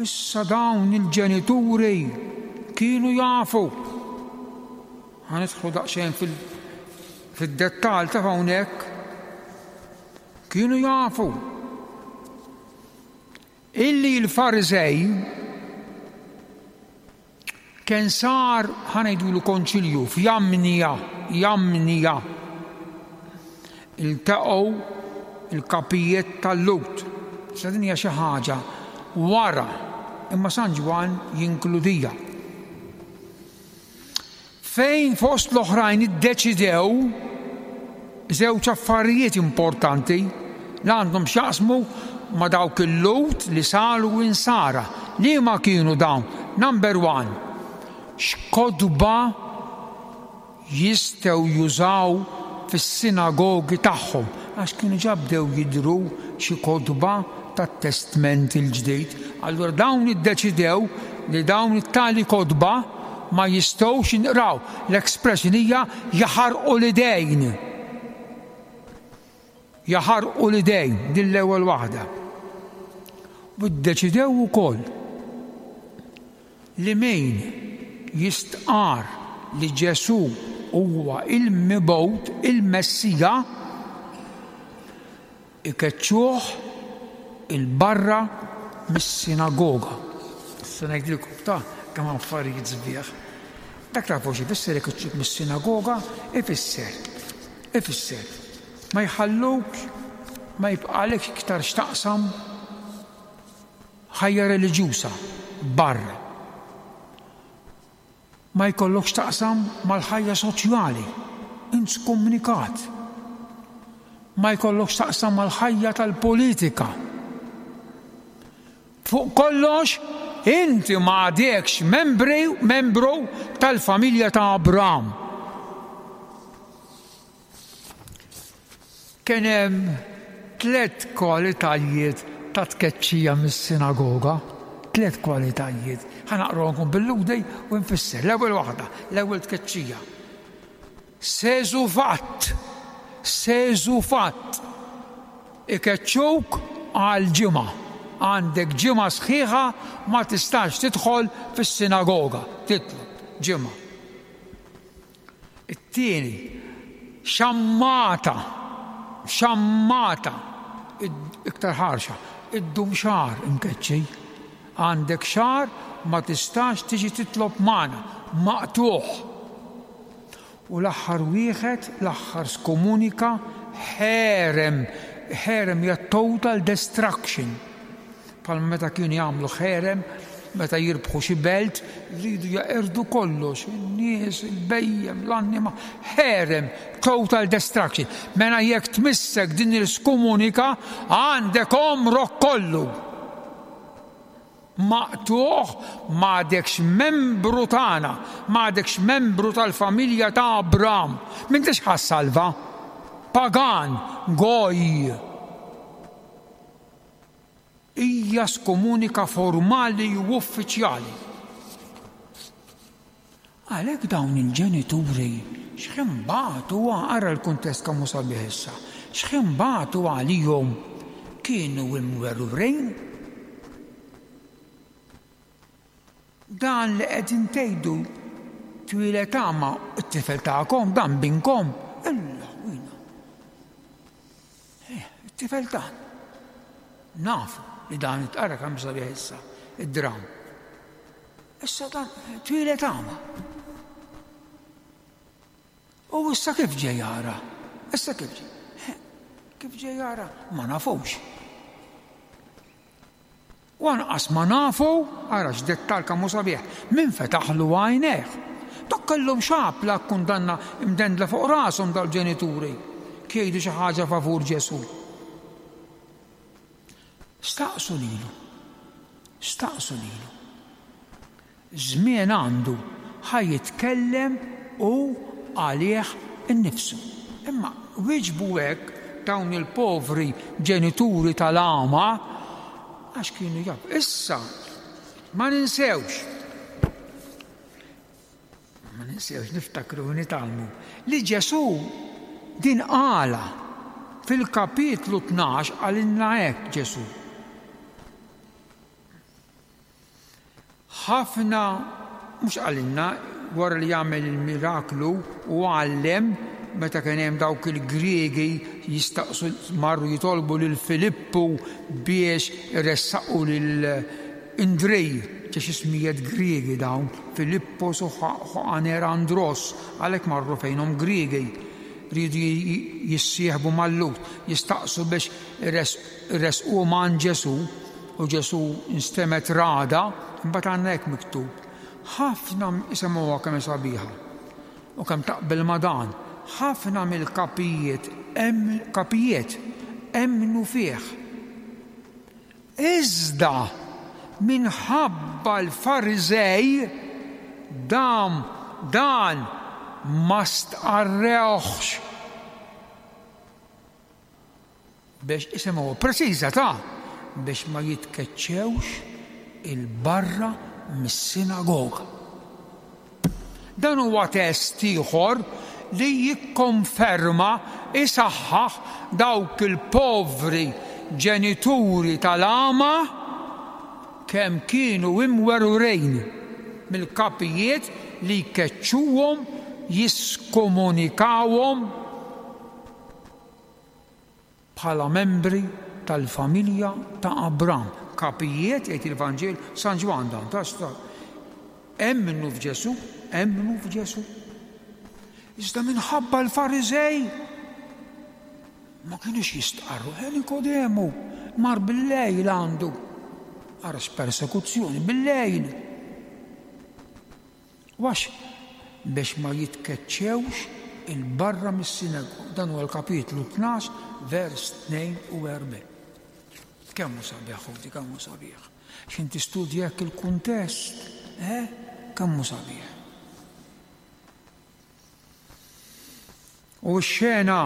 Issa dawn il-ġenituri kienu jafu. Ħa nidħlu daqsxejn fil-dettall ta' hawnhekk. Kienu jafu illi l-Fariżej Kien sar, ħa ngħidulu konċilju, f'Jamnija, Jamnija. Iltaqgħu l-kapijiet tal-Lhud. Issa din hija xi ħaġa wara, imma San Ġwann jinkludija. Fejn fost l-oħrajn iddeċidew żewġ affarijiet importanti li għandhom x'jaqsmu ma' dawk il-Lhud li saru Insara. Liema kienu dawn? Number one, x'kotba jistgħu jużaw fis-sinagogi tagħhom, għax kienu ġa bdew jidhru xi kotba tat-Testment il-Ġdid. Allura dawn iddeċidew li dawn it-tali kotba ma jistgħux jinqraw. L-expression hija jaħarqu l-idejn. Jaħarqu l-idejn, din l-ewwel waħda. U ddeċidew ukoll li min jistqarr li Ġesù huwa il-Mibgħut, il-Messija, ikeċċuh 'il barra mis-sinagoga. Issa ngħidilkom ta' kemm hawn affarijiet sbieħ. Dak tafu x'ifisser ikeċċuk mis-sinagoga? Ifisser, ifisser ma jħalluk ma jibqagħlekx iktar x'taqsam ħajja reliġjuża barra. Ma jkollokx x'taqsam mal-ħajja soċjali, int skumnikat. Ma jkollokx x'taqsam mal-ħajja tal-politika. Fuq kollox, inti ma għadekx membri, membru tal-familja ta' Abram. Kien hemm tlett kwalitajiet ta' tkeċċija mis-sinagoga. Tlett kwalitajiet. Ħa naqrahomkom bil-Lhudi u nfisser. L-ewwel waħda, l-ewwel tkeċċija. Seżufatt, seżufatt. Ikeċċuk għal ġimgħa. Għandek ġimgħa sħiħa ma tistax tidħol fis-sinagoga. Titlob ġimgħa. It-tieni, xammata, xammata, iktar ħarxa, iddum xahar imkeċċi. Għandek xahar ma tistax tiġi titlob magħna, maqtugħ. U l-aħħar wieħed, l-aħħar skomunika, ħerem. Ħerem hija total destruction. Bħalma meta kienu jagħmlu ħerem, meta jirbħu xi belt, jridu jeqirdu kollox, in-nies, il-bhejjem, l-annima, ħerem, total destruction. Mela jekk tmissek din il-skumunika, għandek għomrok kollu. Maqtugħ, m'għadekx membru tagħna, m'għadekx membru tal-familja ta' Abram. M'intix ħa ssalva. Pagan, goj. Hija skomunika formali u uffiċjali. Għalhekk dawn il-ġenituri x'ħin bagħtu ara l-kuntest kemm hu sabiħ issa, x'ħin bagħtu għalihom kienu imwerwrin. Dan li qegħdin tgħidu twieled agħma t-tifel tagħkom, dan binkom. Illa, wina. Eh, it-tifel tagħna. Nafu li dan it-tqara kemm sabiħ issa, id-dram. Issa dan twieled agħma. U issa kif ġej jara? Issa kif ġej? Eh, kif ġej jara? Ma nafux. U anqas ma nafu, ara x'dettal kemm hu sabiħ, min fetaħlu għajnejh. Dak kellhom xapla kundanna mdendla fuq rashom dal-ġenituri jgħidu xi ħaġa favur Ġesù. Staqsu lilu. Staqsu lilu. Żmien għandu, ħa jitkellem hu għalih innifsu. Imma wieġbu hekk dawn il-povri ġenituri tal-għama għax kienu jafu. Issa, ma ninsewx, ma ninsewx niftakru u nitgħallmu li Ġesù din qala fil-kapitlu 12 qalilna hekk Ġesù. Ħafna, mhux qalilna, wara li għamel il-miraklu u għallem meta kien hemm dawk il-Griegi jistaqsu marru jitolbu lil Filippu biex iressaqu lil Indrej, ġex ismijiet Griegi dawn, Filippos u Ħaner Andros, għalhekk marru fejnhom Griegi riedu jissieħbu mal-Lhud, jistaqsu biex iressquhom għand Ġesù. U Ġesù nstemgħet ragħda, imbagħad għandna hekk miktub. Ħafna, isemgħuha kemm hi sabiħa u kemm taqbel ma' dan, ħafna mill-kapijiet kapijiet emmnu fih. Iżda minħabba l-Fariżej dam dan ma stqarrewhx. Biex, isimgħu, preċiża ta' biex ma jitkeċċewx 'il barra mis-sinagoga. Dan huwa test ieħor li jikkonferma, isaħħaħ dawk il-povri ġenituri tal-għama kemm kienu imwerwrin mill-kapijiet li jkeċċuhom, jiskomunikawhom. Bħala membri tal-familja ta' Abram, kapijiet, jgħid il-Vanġelu, San Ġwann dan, ta' emmnu f'Ġesù, emmnu f'Ġesù. Iżda minħabba l-Fariżej ma kienux jistqarru, eh, Nikodemu mar bil-lejl għandu. Ara persekuzzjoni bil-lejl. U għax biex ma jitkeċċewx 'il barra mis-sinagoga. Dan huwa l-kapitlu 12, vers 42. Kemm hu sabiħ, ħuti, kemm hu sabiħ. X'in tistudja hekk il-kuntest, eh? Kemm hu sabiħ. U x-xena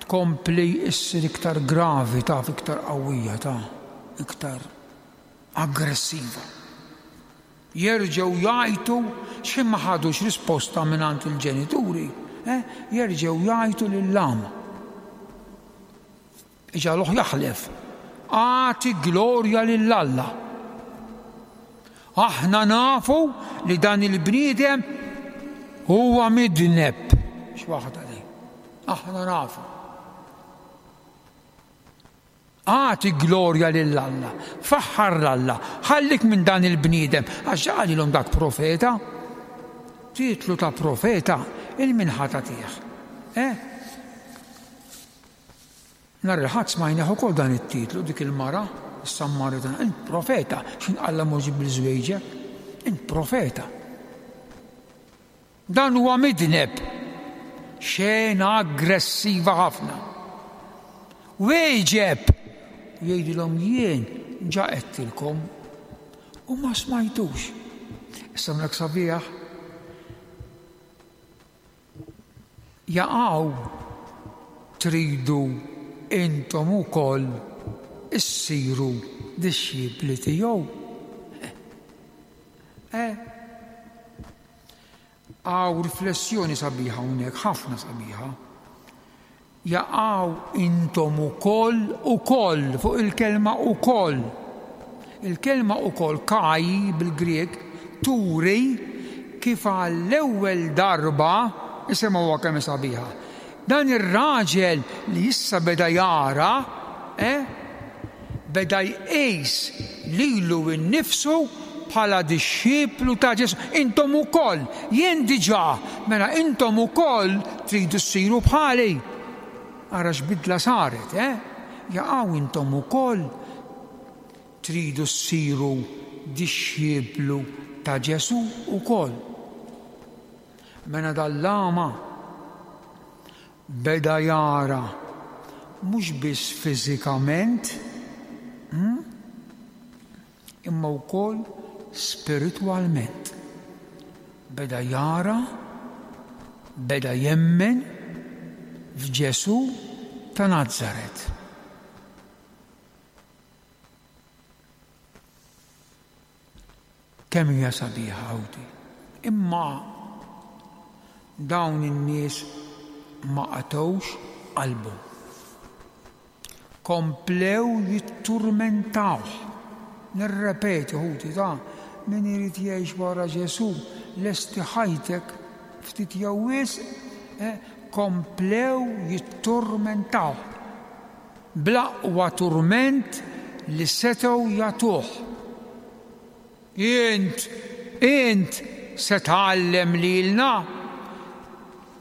tkompli issir iktar gravi, taf iktar qawwija, ta' iktar aggressiva. Jerġgħu jgħajtu x'ħin ma ħadux risposta mingħand il-ġenituri, eh, jerġgħu jgħajtu lill-għama. Iġagħluh jaħlef, Agħti glorja lil Alla. Aħna nafu li dan il-bniedem huwa midneb. X'waħda di. Aħna nafu. Agħti glorja lil Alla, faħħar 'l Alla, ħallik minn dan il-bniedem, għax qalilhom dak profeta. Titlu ta' profeta il min ħa tagħtih. Eh? Nhar il-Ħadd smajnieh ukoll dan it-titlu, dik il-mara, is-Sammaritana, int profeta, x'in Alla mhux ġib bil-żwejġek, int profeta. Dan huwa midneb. Xena aggressiva ħafna. Wieġeb! U jgħidilhom jien ġa għedtilkom u ma smajtux. Issa mlek sabiħ. Jaqaw tridu intom ukoll issiru dixxipli tiegħu. Eh? Hawn riflessjoni sabiħa hawnhekk, ħafna sabiħa. Jaqaw intom ukoll ukoll fuq il-kelma ukoll. Il-kelma ukoll kai bil-Grieg turi kif għall-ewwel darba, isimgħuha kemm hi sabiħa, dan ir-raġel li issa beda jara, eh, beda jqis lilu nnifsu bħala dixxiplu ta' Ġesù. Intom ukoll, jien diġà, mela intom ukoll tridu ssiru bħali. Ara x'bidla saret, eh? Jaqaw intom ukoll tridu ssiru dixxiplu ta' Ġesù ukoll. Mela dal-lama beda jara mhux biss fiżikament, hmm? imma wkoll spiritwalment. Beda jara, beda jemmen f'Ġesù ta' Nazaret. Kemm hija sabiħa ħawti. Imma dawn in-nies ma qatgħux qalbhom. Komplew jitturmentawh. Nirrepeti ħuti ta' min irid jgħix wara Ġesù, lesti ħajtek ftit jew wisq, eh, komplew jitturmentawh. Bl-aqwa turment li setgħu jagħtuh. Int, int se tgħallem lilna?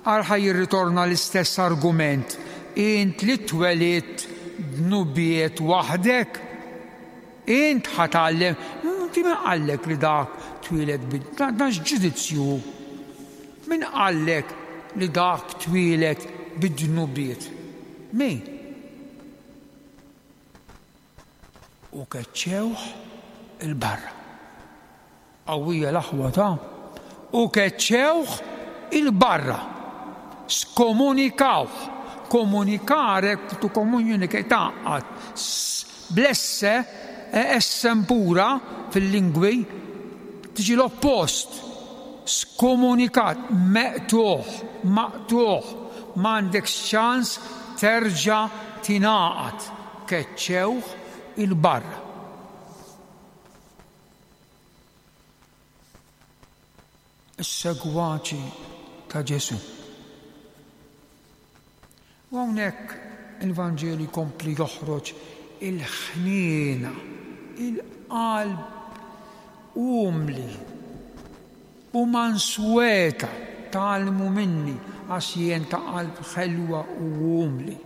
Ara ħa jirritorna l-istess argument, int li twelidt dnubiet waħdek? Int ħa tgħallem, inti min qallek li dak twieled bi, dan x'ġudizzju hu? Min qallek li dak twieled bid-dnubiet? Min? U keċċewh 'il barra. Qawwija l-aħwa ta'. U keċċewh 'il barra. Skomunikawh. Komunikare, to communicate, tgħaqqad. Bl-esse, esse impura fil-lingwi, tiġi l-oppost. Skomunikat, meqtugħ, maqtugħ, m'għandekx ċans terġa' tingħaqad. Keċċewh 'il barra. Is-segwaċi ta' Ġesù. U hawnhekk il-Vanġelu jkompli joħroġ il-ħniena, il-qalb umli u mansweta, tgħallmu minni għax jien ta' qalb ħelwa u umli.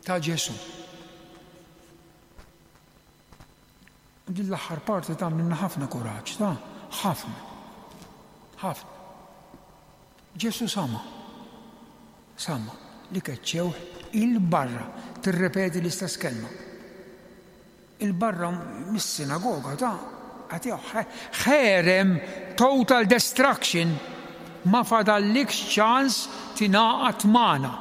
Ta' Ġesù. U din l-aħħar parti tagħmlilna ħafna kuraġġ, ta' ħafna. Ħafna. Ġesù sama. Sama li keċċewh il-barra. Tirrepeti l-istess kelma. Il-barra mis-sinagoga ta' għatih ħerem total destruction ma fadallikx ċans tingħaqad magħna.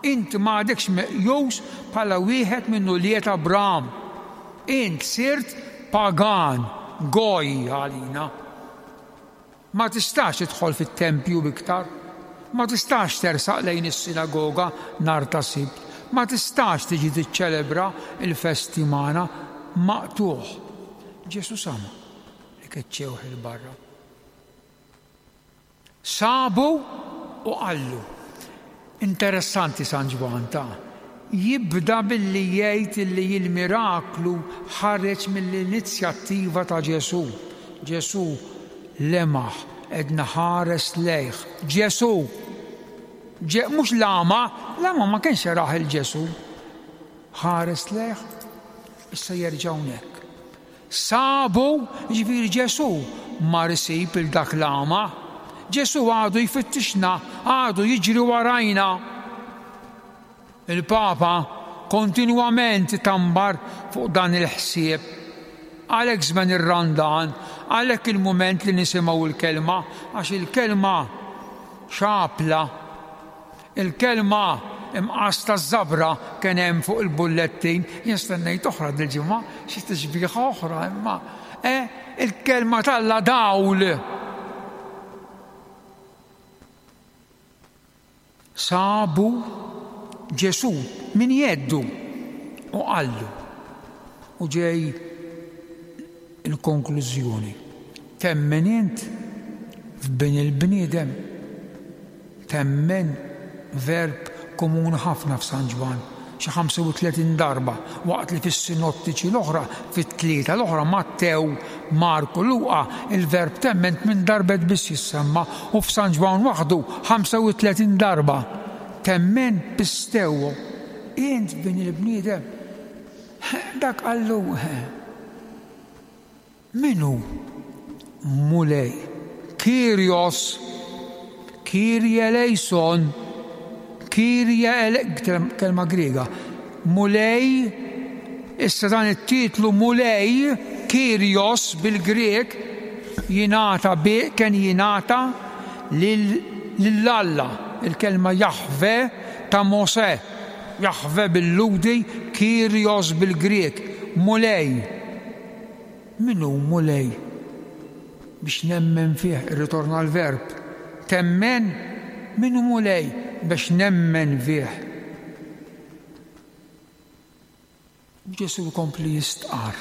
Int m'għadekx meqjus bħala wieħed minn ulied Abraham. Int sirt pagan, goj għalina. Ma tistax tidħol fit-tempju iktar. Ma tistax tersaq lejn is-sinagoga nhar ta' Sibt. Ma tistax tiġi tiċċelebra l-festi magħna. Maqtugħ. Ġesù sama' li keċċewh 'il barra. Sabu u qallu. Interessanti San Ġwann ta' jibda billi jgħid illi l-miraklu ħareġ mill-inizjattiva ta' Ġesù. Ġesù lemaħ, għedna ħares lejh. Ġesù! Ġe, mhux l-għama, l-għama ma kienx jarah 'il Ġesù. Ħares lejh, issa jerġa' hawnhekk. Sabu, jiġifieri Ġesù, mar isib 'il dak l-agħma. Ġesù għadu jfittixna, għadu jiġri warajna. Il-Papa kontinwament itambar fuq dan il-ħsieb. Għalhekk żmien ir-Randan, għalhekk il-mument li nisimgħu l-Kelma, għax il-Kelma xapla. Il-kelma imqas taż-żabra kien hemm fuq il-bullettin, jien stennejt oħra dil-ġimgħa, xi tixbiha oħra imma eh, il-kelma t'Alla dawl. Sabu Ġesù minn jeddu u qallu. U ġej il-konklużjoni. Temmen int f'Bin il-bniedem? Temmen, verb komuni ħafna f'San Ġwann, xi 35 darba, waqt li fis-sinottiċi l-oħra, fit-tlieta l-oħra, Mattew, Mark u Luqa, il-verb temmen tmien darbet biss jissemma u f'San Ġwann waħdu 35 darba. Temmen, pisteuo, int f'Bin il-bniedem? Dak qallu, Min hu Mulej? Kyrios, Kyrie eleison, Kyrie ele, kelma Griega. Mulej, issa dan it-titlu Mulej, Kyrios bil-Grieg, jingħata bi, kien jingħata lil Alla, il-kelma Jahve ta' Mosè, Jahve bil-Lhudi, Kyrios bil-Grieg, Mulej. Min hu Mulej? Biex nemmen fih, irritorna l-verb. Temmen? Min hu Mulej biex nemmen fih? U Ġesù jkompli jistqarr.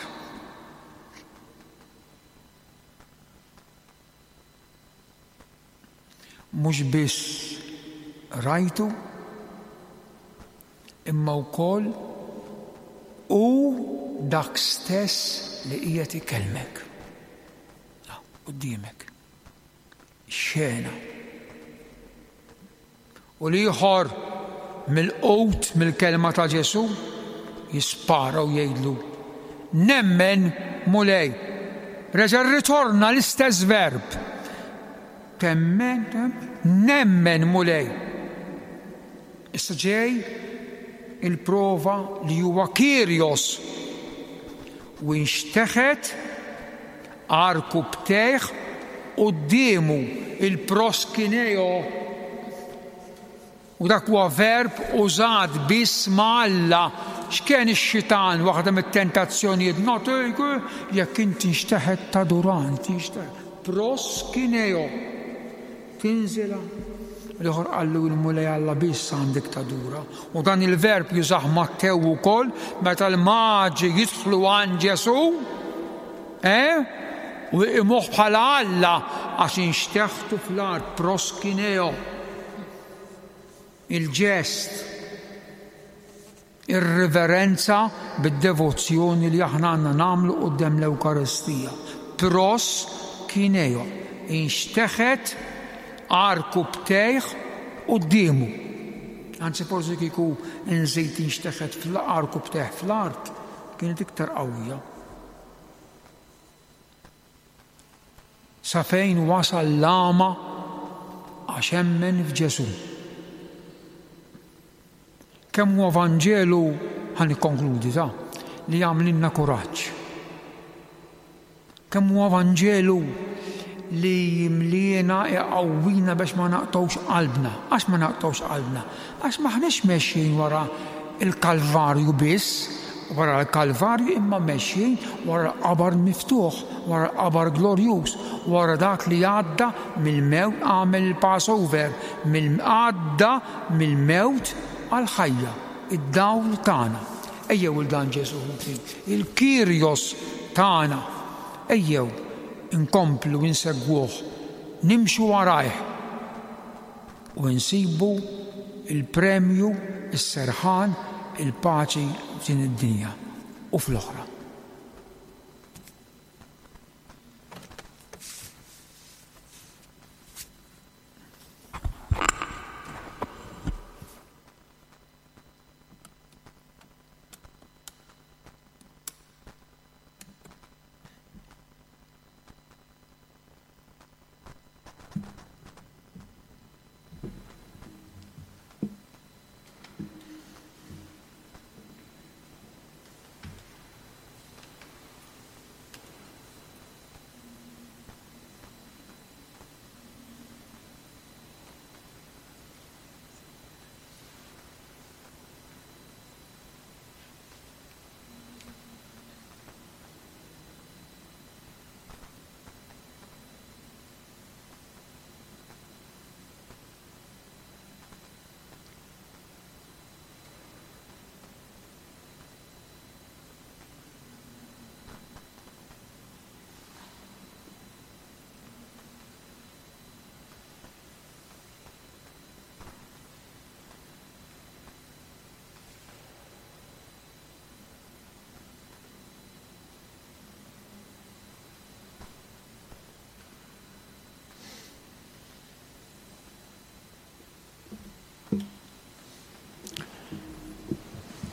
Mhux biss rajtu, imma wkoll hu dak stess li qiegħed ikellmek. Quddiemek. Xena. U l-ieħor milqut mill-kelma ta' Ġesù jispara u jgħidlu, Nemmen, Mulej. Reġa' rritorna l-istess verb. Temmen, nemmen, Mulej. Issa ġej il-prova li huwa Kyrios u inxteħet għarkupptejh quddiemu, il-proskineo. U dak huwa verb użat biss ma' Alla. X'kien ix-xitan waħda mit-tentazzjonijiet nagħtik jekk inti nxteħet taduran, tinxteħet. Proskineo. Tinżilha. L-ieħor qallu il-Mulej Alla biss għandek tadura. U dan il-verb jużah Mattew ukoll meta l-maġi jidħlu għand Ġesù, eh? U jqimuh bħala Alla għax inxteħtu fl-art proskineo. Il-ġest Ir-riverenza bid-devozzjoni li aħna għandna nagħmlu quddiem l-Ewkaristija. Pros kineo, inxteħet għarkupptejh quddiemu. Anzi forsi kieku nżid inxteħet għarkupptejh fl-art, kienet iktar qawwija. Sa fejn wasal l-għama għax emmen f'Ġesù. Kemm huwa Vanġelu, ħa nikkonkludi ta, li jagħmlilna kuraġġ. Kemm huwa Vanġelu li jimliena iqawwina biex ma naqtgħux qalbna. Għax ma naqtgħux qalbna? Għax m'aħniex mexjin wara l-Kalvarju biss, wara l-Kalvarju imma mexjin wara l-qabar miftuħ, wara l-qabar glorjuż, wara dak li għadda mill-mewt għamel il-Passover, għadda mill-mewt għall-ħajja, id-dawl tagħna. Ejjew 'il dan Ġesù ħuti, il-Kyrios tagħna. Ejjew inkomplu insegwuh, nimxu warajh u nsibu l-premju, is-serħan, il-paċi f'din id-dinja u fl-oħra.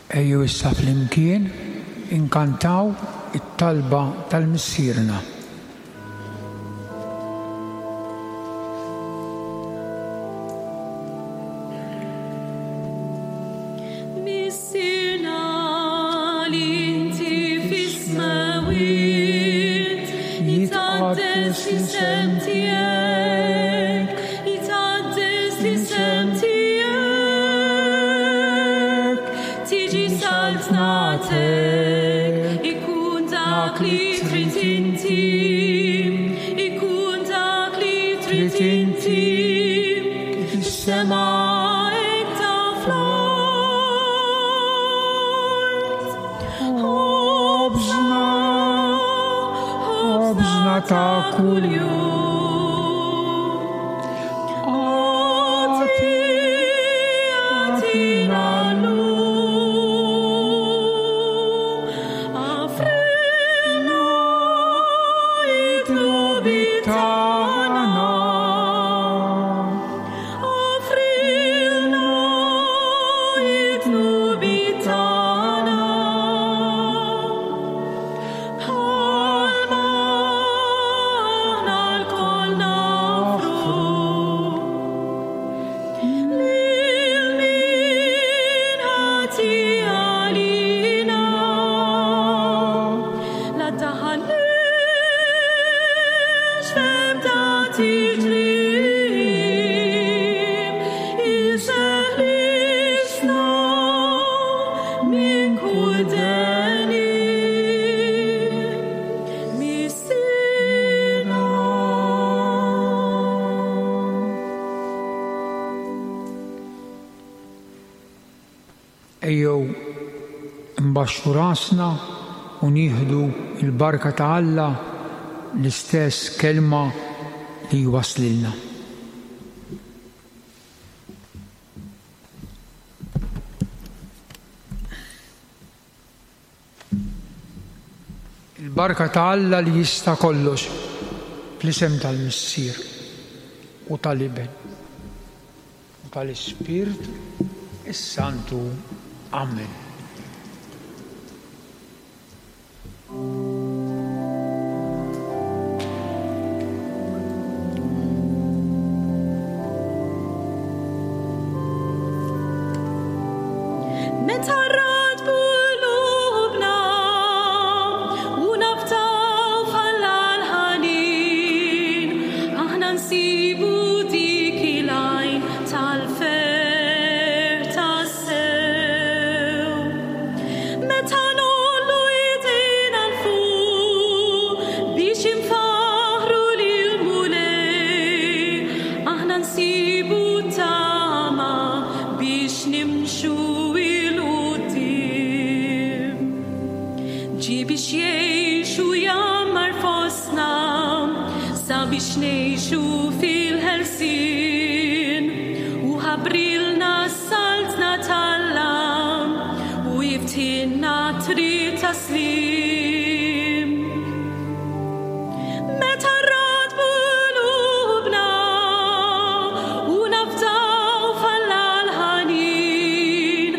Ejjew issa flimkien inkantaw it-talba tal-Missierna. Missierna li inti fis-smewwiet, jitqaddes l-isem tiegħek, jitqaddes l-isem tiegħek, tiġi saltnatek, ikun dak li trid inti, ikun dak li trid inti, fis-sema hekk ta' fl-art. Ħobżna, ħobżna ta' kuljum. Agħti, agħtina llum. Aħfrilna id-dnubiet tagħna. Aħfrilna id-dnubiet tagħna. Bħalma aħna lkoll nafru. Lil min ħati għalina. La daħalniex f'ebda tiġrib, iseħlisna minn kull deni. Missierna. Ejjew nbaxxu rasna u nieħdu l-barka ta' Alla, l-istess kelma li jwasslilna. Il-barka ta' Alla li jista' kollox, fl-isem tal-Missier u tal-Iben u tal-Ispirtu s-Santu. Amen. Meta rradbu qlubna u naftaw f'Alla l-ħanin, aħna nsibu dik il-għajn tal-ferħ tassew. Meta ngħollu idejna 'l fuq biex infaħħru lill-Mulej, aħna nsibu tama biex nimxu 'l quddiem. Ġie biex jgħix u jgħammar fostna, sabiex ngħixu fil-ħelsien, u ħabbrilna s-saltna t'Alla u jiftħilna triq ta' sliem. Meta rradbu qlubna u nafdaw f'Alla l-ħanin,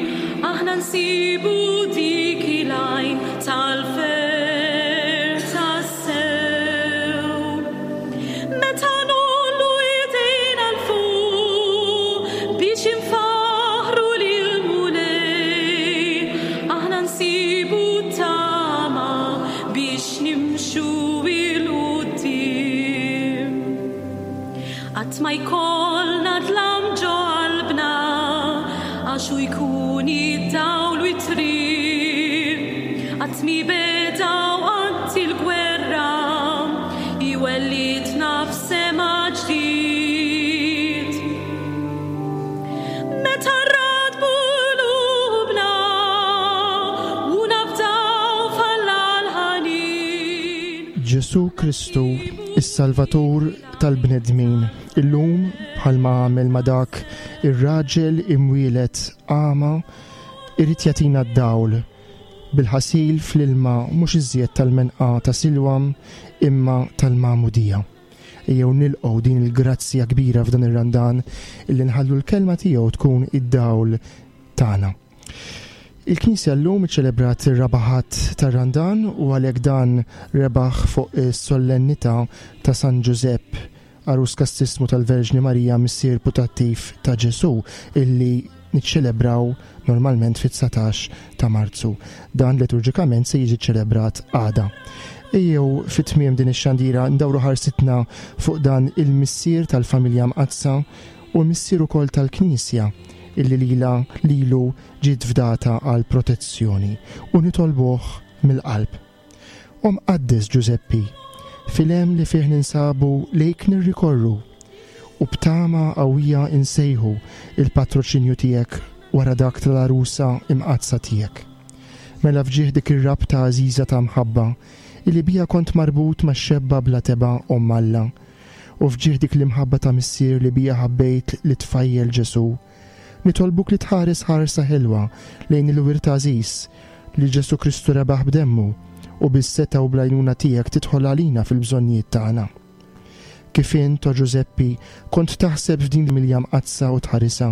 aħna nsibu dik il-għajn tal-ferħ tassew. Meta ngħollu idejna 'l fuq biex infaħħru lill-Mulej, aħna nsibu tama biex nimxu 'l quddiem. Qatt ma jkollna dlam ġo qalbna, għax hu jkun id-dawl u t-triq. Qatt mi beda u qatt il-gwerra, iwellidna f'sema ġdid. Meta rradbu qlubna u nafdaw f'Alla l-ħanin. Ġesù Kristu, is-Salvatur tal-bnedmin, illum bħalma għamel ma' dak ir-raġel imwieled agħma, irid jagħtina d-dawl bil-ħasil fl-ilma mhux iżjed tal-menqa ta' Silwam imma tal-magħmudija. Ejjew nilqgħu din il-grazzja kbira f'dan ir-Randan illi nħallu l-kelma tiegħu tkun id-dawl tagħna. Il-Knisja llum iċċelebrat ir-raba' Ħadd tar-Randan u għalhekk dan rebaħ fuq is-sollennità ta' San Ġużepp, għarus kastissmu tal-Verġni Marija missier putattiv ta' Ġesù illi niċċelebraw normalment fit-19 ta' Marzu. Dan liturġikament se jiġi ċċelebrat għada. Ejjew fi tmiem din ix-xandira ndawru ħarsitna fuq dan il-missier tal-familja mqaddsa u l-missier ukoll tal-Knisja illi lilha lilu ġiet fdata għal protezzjoni u nitolbuh mill-qalb. O Mqaddes Ġużeppi, fil-hemm li fih ninsabu lejk nirrikorru u b'tama qawwija insejħu il-patroċinju tiegħek wara dak tal-għarusa imqaddsa tiegħek. Mela f'ġieħ dik ir-rabta għażiża ta' mħabba illi biha kont marbut max-xebba bla tebgħa Omm Alla, u f'ġieħ dik l-imħabba ta' Missier li biha ħabbejt lit-tfajjel Ġesù, nitolbuk li tħares ħarsa ħelwa lejn il-wirt għażiż li Ġesù Kristu rebaħ b'demmu u bis-setgħa u bl-għajnuna tiegħek tidħol għalina fil-bżonnijiet tagħna. Kif int, o Ġużeppi, kont taħseb f'din l-familja mqaddsa u tħarisha,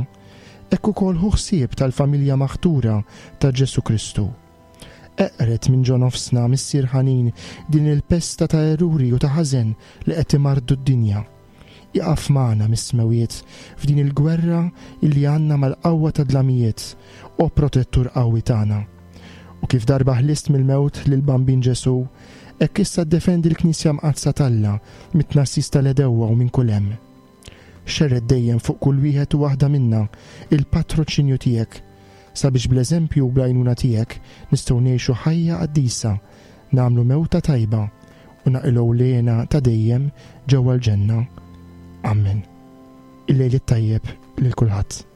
hekk ukoll ħu ħsieb tal-familja maħtura ta' Ġesù Kristu. Eqred minn ġo nofsna, Missier ħanin, din il-pesta ta' eruri u ta' ħażen li qed imarrdu d-dinja. Ieqaf magħna mis-smewwiet f'din il-gwerra illi għandna mal-qawwa tad-dlamijiet, o Protettur qawwi tagħna. U kif darba ħlist mill-mewt lill-Bambin Ġesù, hekk issa ddefendi l-Knisja Mqaddsa t'Alla mit-tnassis tal-għedewwa u minn kull hemm. Xerred dejjem fuq kull wieħed u waħda minna il-patroċinju tiegħek, sabiex bl-eżempju u bl-għajnuna tiegħek nistgħu ngħixu ħajja qaddisa, nagħmlu mewta tajba u naqilgħu l-hena ta' dejjem ġewwa l-ġenna. Ammen. Il-lejl it-tajjeb lil kulħadd.